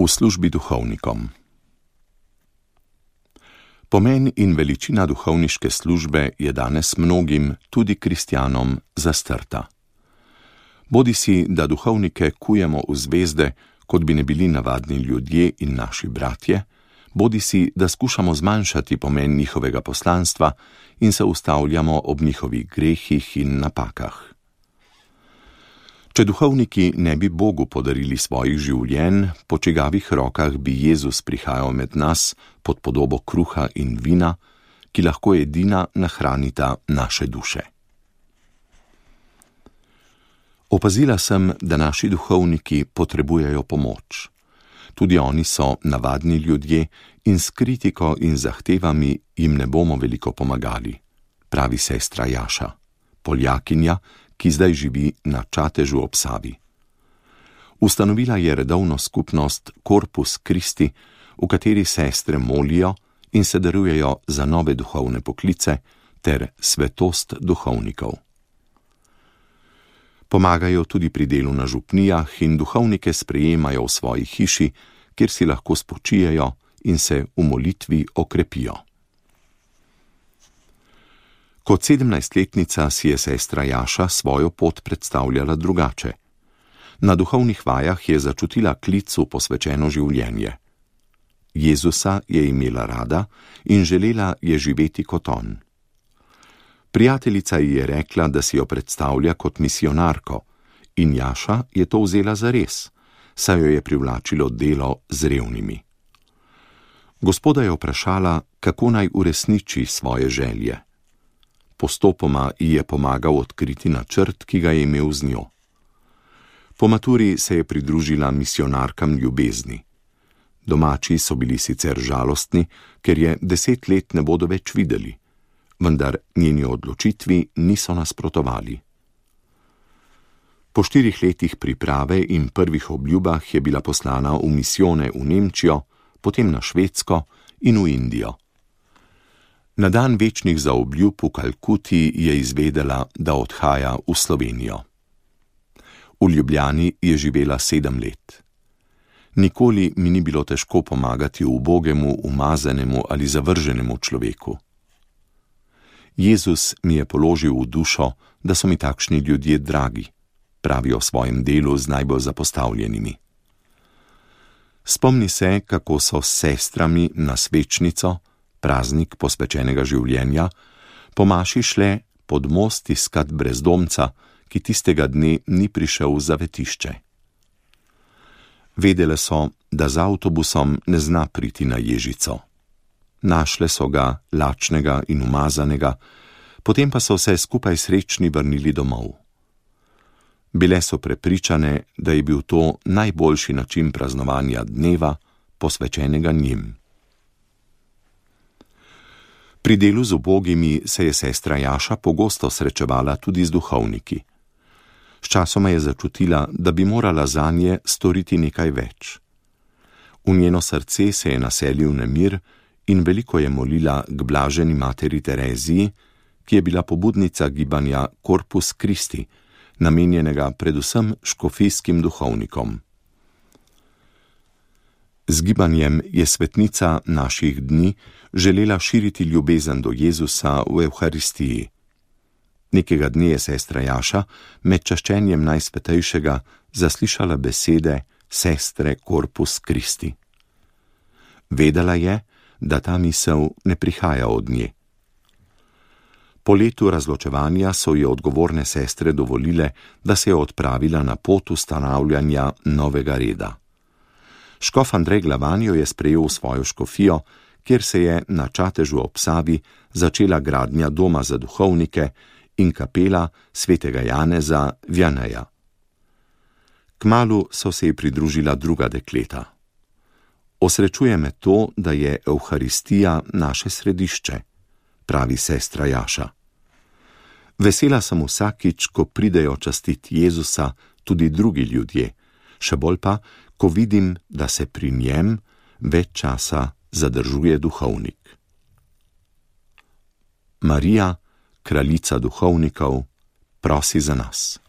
V službi duhovnikom. Pomen in veličina duhovniške službe je danes mnogim, tudi kristjanom, zastrta. Bodisi, da duhovnike kujemo v zvezde, kot bi ne bili navadni ljudje in naši bratje, bodisi, da skušamo zmanjšati pomen njihovega poslanstva in se ustavljamo ob njihovih grehih in napakah. Če duhovniki ne bi Bogu podarili svojih življenj, po čigavih rokah bi Jezus prihajal med nas pod podobo kruha in vina, ki lahko edina nahranita naše duše. Opazila sem, da naši duhovniki potrebujejo pomoč. Tudi oni so navadni ljudje in s kritiko in zahtevami jim ne bomo veliko pomagali, pravi sestra Jaša, Poljakinja, ki zdaj živi na Čatežu ob Savi. Ustanovila je redovno skupnost Corpus Christi, v kateri sestre molijo in se darujejo za nove duhovne poklice ter svetost duhovnikov. Pomagajo tudi pri delu na župnijah in duhovnike sprejemajo v svoji hiši, kjer si lahko spočijejo in se v molitvi okrepijo. Kot 17-letnica si je sestra Jaša svojo pot predstavljala drugače. Na duhovnih vajah je začutila klic v posvečeno življenje. Jezusa je imela rada in želela je živeti kot on. Prijateljica ji je rekla, da si jo predstavlja kot misionarko, in Jaša je to vzela zares, saj jo je privlačilo delo z revnimi. Gospoda je vprašala, kako naj uresniči svoje želje. Postopoma ji je pomagal odkriti načrt, ki ga je imel z njo. Po maturi se je pridružila misionarkam ljubezni. Domači so bili sicer žalostni, ker je 10 let ne bodo več videli, vendar njeni odločitvi niso nasprotovali. Po 4 letih priprave in prvih obljubah je bila poslana v misijone v Nemčijo, potem na Švedsko in v Indijo. Na dan večnih zaobljub v Kalkuti je izvedela, da odhaja v Slovenijo. V Ljubljani je živela 7 let. Nikoli mi ni bilo težko pomagati ubogemu, umazanemu ali zavrženemu človeku. Jezus mi je položil v dušo, da so mi takšni ljudje dragi, pravijo v svojem delu z najbolj zapostavljenimi. Spomni se, kako so s sestrami na svečnico, praznik posvečenega življenja, po maši šle pod most iskat brezdomca, ki tistega dne ni prišel v zavetišče. Vedele so, da z avtobusom ne zna priti na Ježico. Našle so ga lačnega in umazanega, potem pa so se skupaj srečni vrnili domov. Bile so prepričane, da je bil to najboljši način praznovanja dneva, posvečenega njim. Pri delu z ubogimi se je sestra Jaša pogosto srečevala tudi z duhovniki. Sčasoma je začutila, da bi morala zanje storiti nekaj več. V njeno srce se je naselil nemir in veliko je molila k blaženi materi Tereziji, ki je bila pobudnica gibanja Corpus Christi, namenjenega predvsem škofijskim duhovnikom. Z gibanjem je svetnica naših dni želela širiti ljubezen do Jezusa v Evharistiji. Nekega dne je sestra Jaša med čaščenjem Najsvetejšega zaslišala besede sestre Corpus Christi. Vedela je, da ta misel ne prihaja od nje. Po letu razločevanja so ji odgovorne sestre dovolile, da se je odpravila na pot ustanavljanja novega reda. Škof Andrej Glavan jo je sprejel v svojo škofijo, kjer se je na Čatežu ob Savi začela gradnja doma za duhovnike in kapela svetega Janeza Vianeja. Kmalu so se ji pridružila druga dekleta. Osrečuje me to, da je Evharistija naše središče, pravi sestra Jaša. Vesela sem vsakič, ko pridejo častiti Jezusa tudi drugi ljudje, še bolj pa, ko vidim, da se pri njem več časa zadržuje duhovnik. Marija, kraljica duhovnikov, prosi za nas.